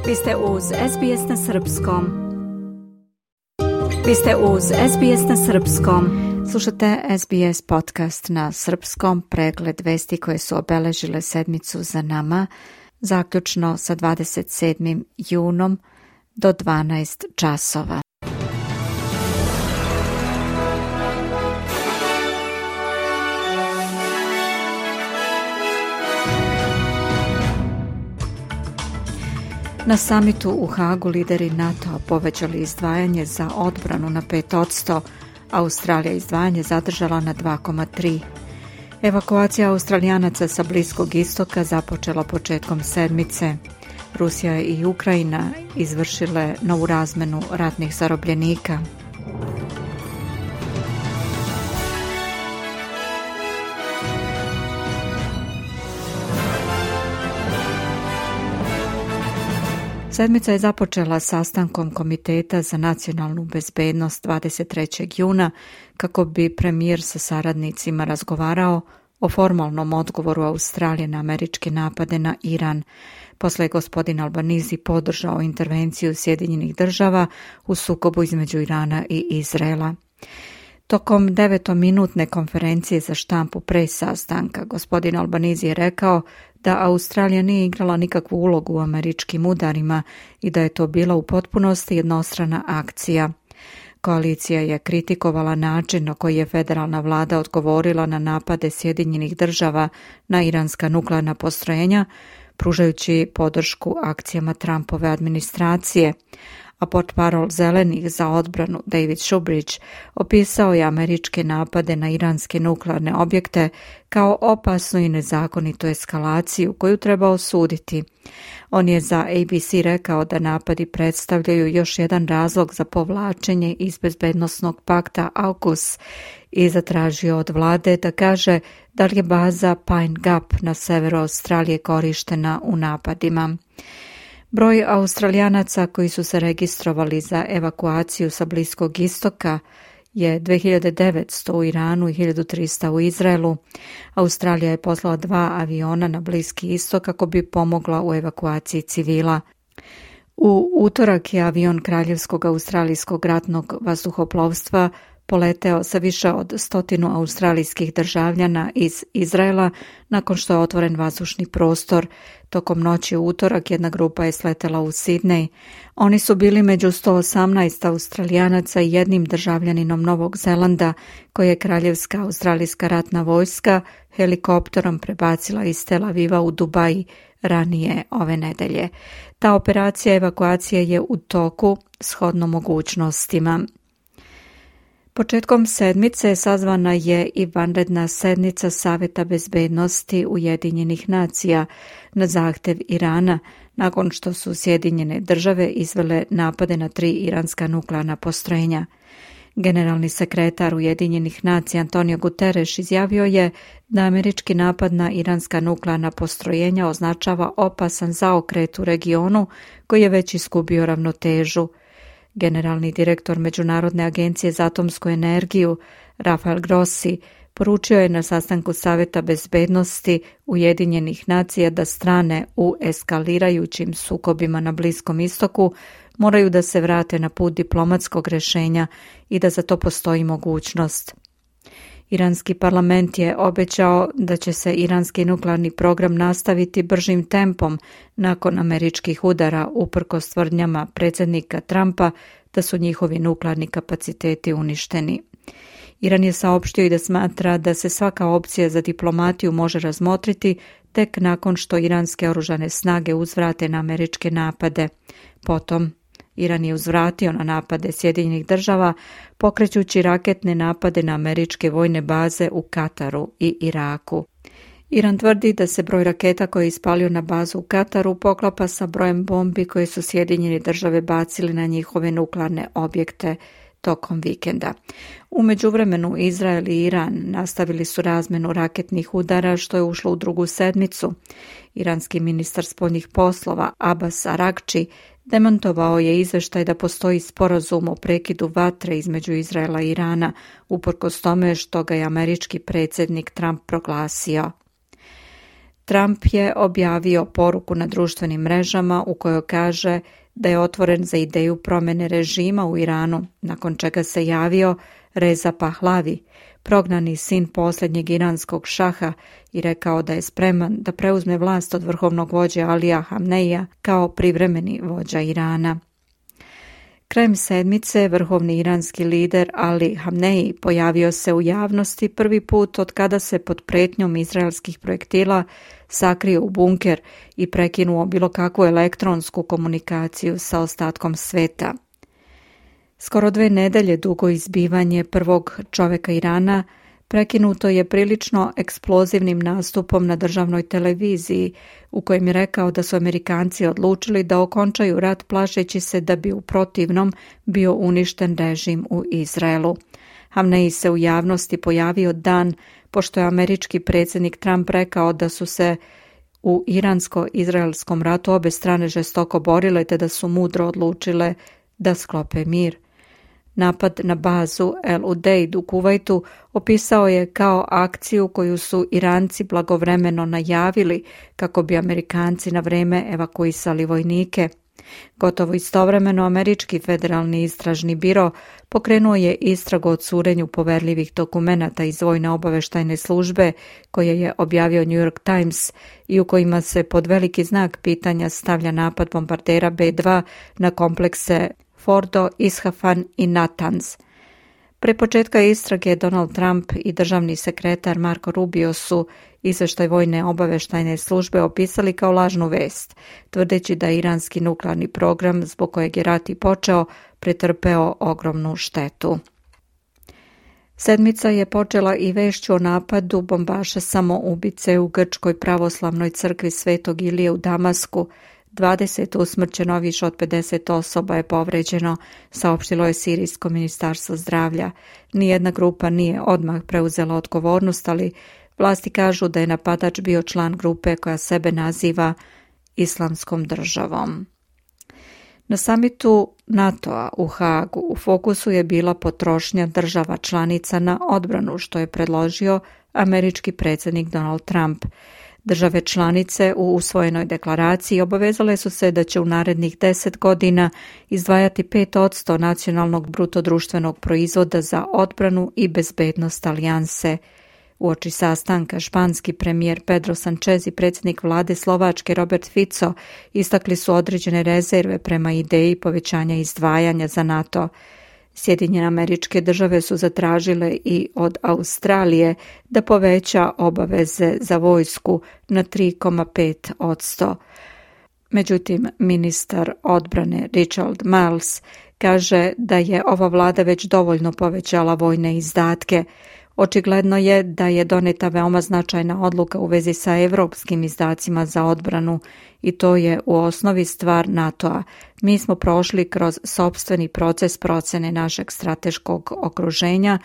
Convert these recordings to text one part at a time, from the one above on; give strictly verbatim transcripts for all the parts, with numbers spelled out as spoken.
Vi ste uz S B S na Srpskom. Vi ste uz S B S na Srpskom. Slušate S B S podcast na Srpskom, pregled vesti koje su obeležile sedmicu za nama, zaključno sa dvadeset sedmim junom do dvanaest časova. Na samitu u Hagu lideri NATO povećali izdvajanje za odbranu na pet posto, Australija izdvajanje zadržala na dva zarez tri. Evakuacija Australijanaca sa Bliskog istoka započela početkom sedmice. Rusija i Ukrajina izvršile novu razmenu ratnih zarobljenika. Sedmica je započela sastankom Komiteta za nacionalnu bezbednost dvadeset trećeg juna kako bi premijer sa saradnicima razgovarao o formalnom odgovoru Australije na američke napade na Iran. Posle je gospodin Albanizi podržao intervenciju Sjedinjenih država u sukobu između Irana i Izraela. Tokom devetominutne konferencije za štampu pre sastanka, gospodin Albanizi je rekao da Australija nije igrala nikakvu ulogu u američkim udarima i da je to bila u potpunosti jednostrana akcija. Koalicija je kritikovala način na koji je federalna vlada odgovorila na napade Sjedinjenih država na iranska nuklearna postrojenja, pružajući podršku akcijama Trumpove administracije. A portparol Zelenih za odbranu David Shubridge opisao je američke napade na iranske nuklearne objekte kao opasnu i nezakonitu eskalaciju koju treba osuditi. On je za A B C rekao da napadi predstavljaju još jedan razlog za povlačenje iz bezbednosnog pakta AUKUS i zatražio od vlade da kaže da li je baza Pine Gap na severu Australije korištena u napadima. Broj Australijanaca koji su se registrovali za evakuaciju sa Bliskog istoka je dve hiljade devetsto u Iranu i hiljadu trista u Izraelu. Australija je poslala dva aviona na Bliski istok kako bi pomogla u evakuaciji civila. U utorak je avion Kraljevskog australijskog ratnog vazduhoplovstva poleteo sa više od stotinu australijskih državljana iz Izraela nakon što je otvoren vazdušni prostor. Tokom noći u utorak jedna grupa je sletela u Sidnej. Oni su bili među sto osamnaest Australijanaca i jednim državljaninom Novog Zelanda koje je Kraljevska australijska ratna vojska helikopterom prebacila iz Tel Aviva u Dubai ranije ove nedelje. Ta operacija evakuacije je u toku shodno mogućnostima. Početkom sedmice sazvana je i vanredna sednica Saveta bezbednosti Ujedinjenih nacija na zahtev Irana, nakon što su Sjedinjene države izvele napade na tri iranska nuklearna postrojenja. Generalni sekretar Ujedinjenih nacija Antonio Guterres izjavio je da američki napad na iranska nuklearna postrojenja označava opasan zaokret u regionu koji je već izgubio ravnotežu. Generalni direktor Međunarodne agencije za atomsku energiju Rafael Grossi poručio je na sastanku Saveta bezbednosti Ujedinjenih nacija da strane u eskalirajućim sukobima na Bliskom istoku moraju da se vrate na put diplomatskog rješenja i da za to postoji mogućnost. Iranski parlament je obećao da će se iranski nuklearni program nastaviti bržim tempom nakon američkih udara uprkos tvrdnjama predsjednika Trumpa da su njihovi nuklearni kapaciteti uništeni. Iran je saopštio i da smatra da se svaka opcija za diplomatiju može razmotriti tek nakon što iranske oružane snage uzvrate na američke napade. Potom Iran je uzvratio na napade Sjedinjenih država, pokrećući raketne napade na američke vojne baze u Kataru i Iraku. Iran tvrdi da se broj raketa koje je ispalio na bazu u Kataru poklapa sa brojem bombi koje su Sjedinjene države bacili na njihove nuklearne objekte tokom vikenda. U međuvremenu Izrael i Iran nastavili su razmenu raketnih udara što je ušlo u drugu sedmicu. Iranski ministar spoljnih poslova Abbas Aragči demantovao je izveštaj da postoji sporazum o prekidu vatre između Izraela i Irana, uprkos tome što ga je američki predsjednik Trump proglasio. Trump je objavio poruku na društvenim mrežama u kojoj kaže da je otvoren za ideju promjene režima u Iranu, nakon čega se javio Reza Pahlavi, prognani sin posljednjeg iranskog šaha, i rekao da je spreman da preuzme vlast od vrhovnog vođe Alija Hamneija kao privremeni vođa Irana. Krajem sedmice vrhovni iranski lider Ali Hamneji pojavio se u javnosti prvi put od kada se pod pretnjom izraelskih projektila sakrio u bunker i prekinuo bilo kakvu elektronsku komunikaciju sa ostatkom sveta. Skoro dve nedelje dugo izbivanje prvog čovjeka Irana prekinuto je prilično eksplozivnim nastupom na državnoj televiziji u kojem je rekao da su Amerikanci odlučili da okončaju rat plašeći se da bi u protivnom bio uništen režim u Izraelu. Hamneji se u javnosti pojavio dan pošto je američki predsjednik Trump rekao da su se u iransko-izraelskom ratu obe strane žestoko borile te da su mudro odlučile da sklope mir. Napad na bazu El Udeid u Kuvajtu opisao je kao akciju koju su Iranci blagovremeno najavili kako bi Amerikanci na vrijeme evakuisali vojnike. Gotovo istovremeno američki federalni istražni biro pokrenuo je istragu o curenju poverljivih dokumenata iz vojne obavještajne službe koje je objavio New York Times i u kojima se pod veliki znak pitanja stavlja napad bombardera B dva na komplekse Fordo, Isfahan i Natanz. Pre početka istrage Donald Trump i državni sekretar Marco Rubio su izvještaj vojne obavještajne službe opisali kao lažnu vest, tvrdeći da je iranski nuklearni program, zbog kojeg je rat i počeo, pretrpeo ogromnu štetu. Sedmica je počela i vešću o napadu bombaša samoubice u Grčkoj pravoslavnoj crkvi Svetog Ilije u Damasku. dvadeset usmrćeno, više od pedeset osoba je povređeno, saopštilo je sirijsko ministarstvo zdravlja. Nijedna grupa nije odmah preuzela odgovornost, ali vlasti kažu da je napadač bio član grupe koja sebe naziva Islamskom državom. Na samitu NATO-a u Haagu u fokusu je bila potrošnja država članica na odbranu, što je predložio američki predsjednik Donald Trump. Države članice u usvojenoj deklaraciji obavezale su se da će u narednih deset godina izdvajati pet posto nacionalnog brutodruštvenog proizvoda za odbranu i bezbednost alijanse. Uoči sastanka španski premijer Pedro Sanchez i predsjednik vlade Slovačke Robert Fico istakli su određene rezerve prema ideji povećanja izdvajanja za NATO. Sjedinjene Američke Države su zatražile i od Australije da poveća obaveze za vojsku na tri zarez pet posto. Međutim, ministar odbrane Richard Marles kaže da je ova vlada već dovoljno povećala vojne izdatke. Očigledno je da je doneta veoma značajna odluka u vezi sa evropskim izdacima za odbranu i to je u osnovi stvar NATO-a. Mi smo prošli kroz sopstveni proces procene našeg strateškog okruženja,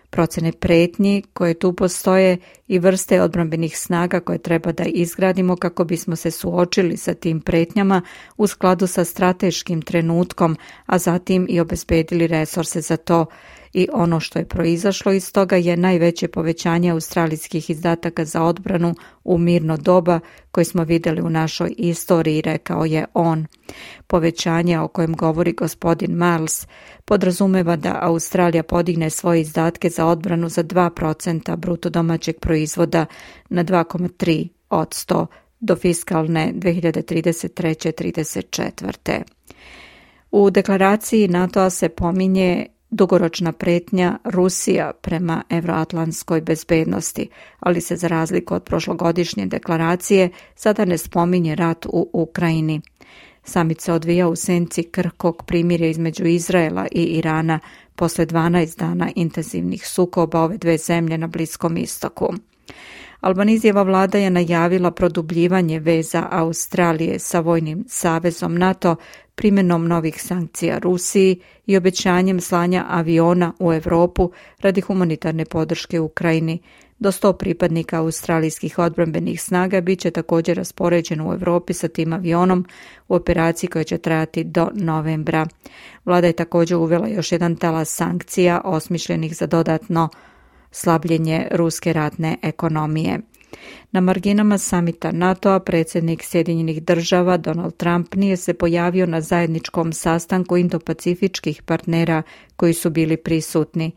procene pretnji koje tu postoje i vrste odbrambenih snaga koje treba da izgradimo kako bismo se suočili sa tim pretnjama u skladu sa strateškim trenutkom, a zatim i obezbedili resurse za to. I ono što je proizašlo iz toga je najveće povećanje australijskih izdataka za odbranu u mirno doba koje smo vidjeli u našoj istoriji, rekao je on. Povećanje o kojem govori gospodin Marles podrazumeva da Australija podigne svoje izdatke za odbranu za dva procenta bruto domaćeg proizvoda na dva zarez tri posto do fiskalne dve hiljade trideset treće trideset četvrte. U deklaraciji NATO-a se pominje dugoročna pretnja Rusija prema evroatlantskoj bezbednosti, ali se za razliku od prošlogodišnje deklaracije sada ne spominje rat u Ukrajini. Samit se odvija u senci krhkog primirja između Izraela i Irana posle dvanaest dana intenzivnih sukoba ove dve zemlje na Bliskom istoku. Albanizijeva vlada je najavila produbljivanje veza Australije sa vojnim savezom NATO primjenom novih sankcija Rusiji i obećanjem slanja aviona u Europu radi humanitarne podrške Ukrajini. Do sto pripadnika australijskih odbrambenih snaga bit će također raspoređeno u Europi sa tim avionom u operaciji koja će trajati do novembra. Vlada je također uvela još jedan talas sankcija osmišljenih za dodatno slabljenje ruske ratne ekonomije. Na marginama samita NATO-a predsjednik Sjedinjenih država Donald Trump nije se pojavio na zajedničkom sastanku indopacifičkih partnera koji su bili prisutni.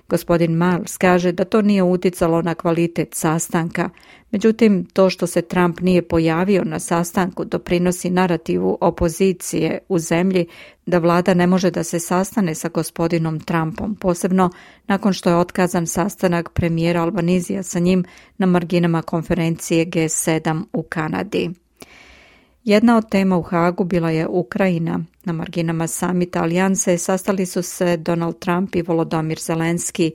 Gospodin Miles kaže da to nije uticalo na kvalitet sastanka. Međutim, to što se Trump nije pojavio na sastanku doprinosi narativu opozicije u zemlji da vlada ne može da se sastane sa gospodinom Trumpom, posebno nakon što je otkazan sastanak premijera Albanizija sa njim na marginama konferencije G sedam u Kanadi. Jedna od tema u Hagu bila je Ukrajina. Na marginama samita alijanse sastali su se Donald Trump i Volodymyr Zelenski.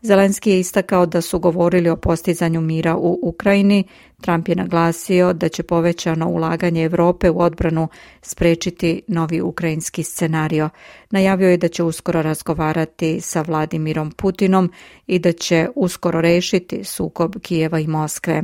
Zelenski je istakao da su govorili o postizanju mira u Ukrajini. Trump je naglasio da će povećano ulaganje Europe u odbranu sprečiti novi ukrajinski scenario. Najavio je da će uskoro razgovarati sa Vladimirom Putinom i da će uskoro rešiti sukob Kijeva i Moskve.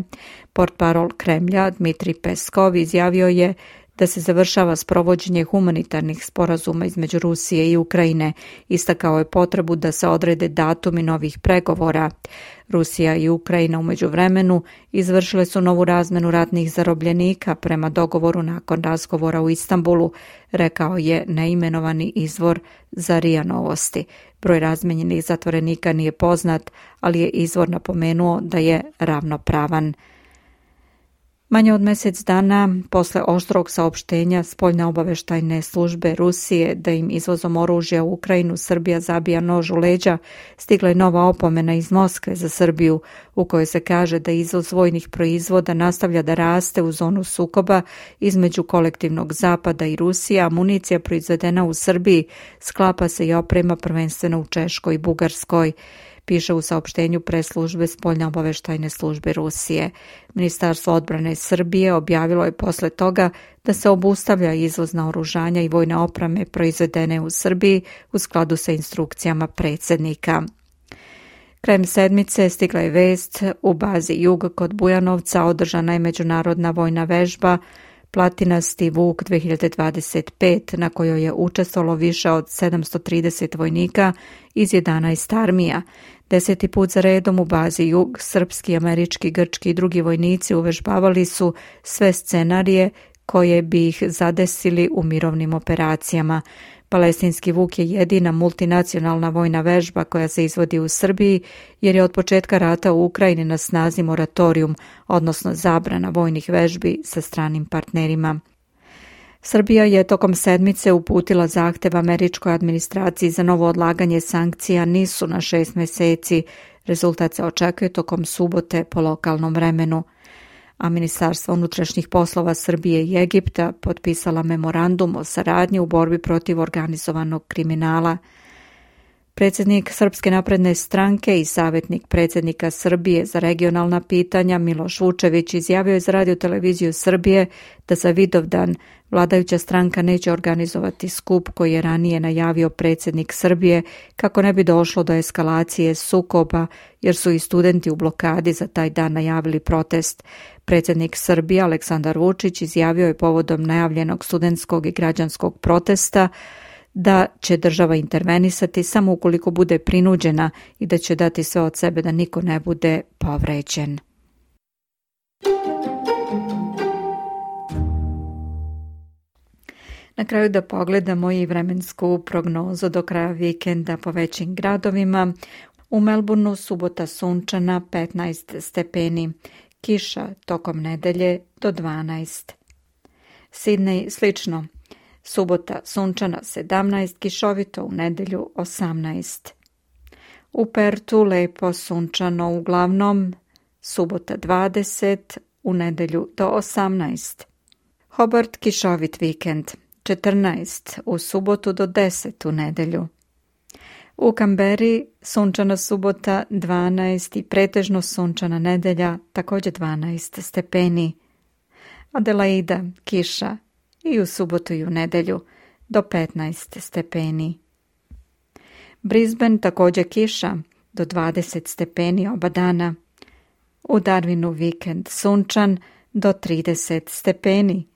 Portparol Kremlja Dmitrij Peskov izjavio je da se završava sprovođenje humanitarnih sporazuma između Rusije i Ukrajine. Istakao je potrebu da se odrede datumi novih pregovora. Rusija i Ukrajina u međuvremenu izvršile su novu razmenu ratnih zarobljenika prema dogovoru nakon razgovora u Istanbulu, rekao je neimenovani izvor za R I A Novosti. Broj razmenjenih zatvorenika nije poznat, ali je izvor napomenuo da je ravnopravan. Manje od mjesec dana posle oštrog saopštenja spoljne obaveštajne službe Rusije da im izvozom oružja u Ukrajinu Srbija zabija nož u leđa, stigla je nova opomena iz Moskve za Srbiju u kojoj se kaže da izvoz vojnih proizvoda nastavlja da raste u zonu sukoba između kolektivnog Zapada i Rusije, a municija proizvedena u Srbiji sklapa se i oprema prvenstveno u Češkoj i Bugarskoj, piše u saopštenju preslužbe spoljne obaveštajne službe Rusije. Ministarstvo odbrane Srbije objavilo je posle toga da se obustavlja izvoz naoružanja i vojne opreme proizvedene u Srbiji u skladu sa instrukcijama predsjednika. Krajem sedmice stigla je vest u bazi Jug kod Bujanovca održana je međunarodna vojna vežba Platinasti Vuk dve hiljade dvadeset pet na kojoj je učestvovalo više od sedamsto trideset vojnika iz jedanaest armija. Deseti put za redom u bazi Jug srpski, američki, grčki i drugi vojnici uvežbavali su sve scenarije koje bi ih zadesili u mirovnim operacijama. Palestinski Vuk je jedina multinacionalna vojna vežba koja se izvodi u Srbiji jer je od početka rata u Ukrajini na snazi moratorijum, odnosno zabrana vojnih vežbi sa stranim partnerima. Srbija je tokom sedmice uputila zahtev američkoj administraciji za novo odlaganje sankcija nisu na šest mjeseci. Rezultat se očekuje tokom subote po lokalnom vremenu. A Ministarstvo unutrašnjih poslova Srbije i Egipta potpisala memorandum o saradnji u borbi protiv organizovanog kriminala. Predsjednik Srpske napredne stranke i savjetnik predsjednika Srbije za regionalna pitanja Miloš Vučević izjavio je za Radio televiziju Srbije da za Vidovdan vladajuća stranka neće organizovati skup koji je ranije najavio predsjednik Srbije kako ne bi došlo do eskalacije sukoba jer su i studenti u blokadi za taj dan najavili protest. Predsjednik Srbije Aleksandar Vučić izjavio je povodom najavljenog studentskog i građanskog protesta da će država intervenisati samo ukoliko bude prinuđena i da će dati sve od sebe da niko ne bude povređen. Na kraju da pogledamo i vremensku prognozu do kraja vikenda po većim gradovima. U Melbourneu subota sunčana petnaest stepeni, kiša tokom nedelje do dvanaest. Sidney slično. Subota sunčana sedamnaest, kišovito u nedelju osamnaest. U Pertu lepo sunčano uglavnom, subota dvadeset, u nedelju do osamnaest. Hobart kišovit vikend, četrnaest, u subotu do deset u nedelju. U Kamberi sunčana subota dvanaest i pretežno sunčana nedelja, također dvanaest stepeni. Adelaida kiša i u subotu i u nedelju do petnaest stepeni. Brisbane također kiša do dvadeset stepeni oba dana. U Darwinu vikend sunčan do trideset stepeni.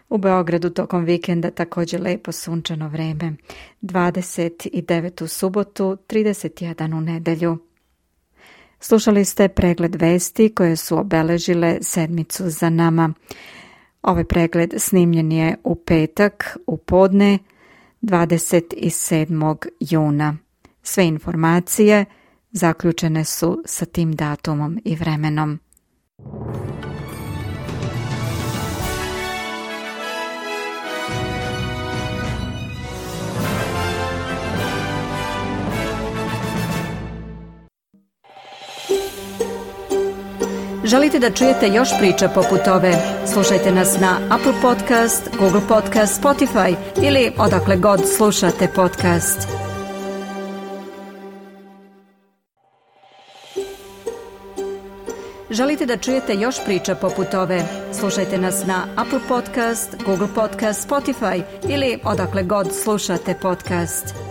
U Beogradu tokom vikenda također lepo sunčano vreme, dvadeset devet u subotu, trideset jedan u nedelju. Slušali ste pregled vesti koje su obeležile sedmicu za nama. Ovaj pregled snimljen je u petak u podne dvadeset sedmog juna. Sve informacije zaključene su sa tim datumom i vremenom. Želite da čujete još priča poput ove? Slušajte nas na Apple Podcast, Google Podcast, Spotify ili odakle god slušate podcast. Želite da čujete još priča poput ove? Slušajte nas na Apple Podcast, Google Podcast, Spotify ili odakle god slušate podcast.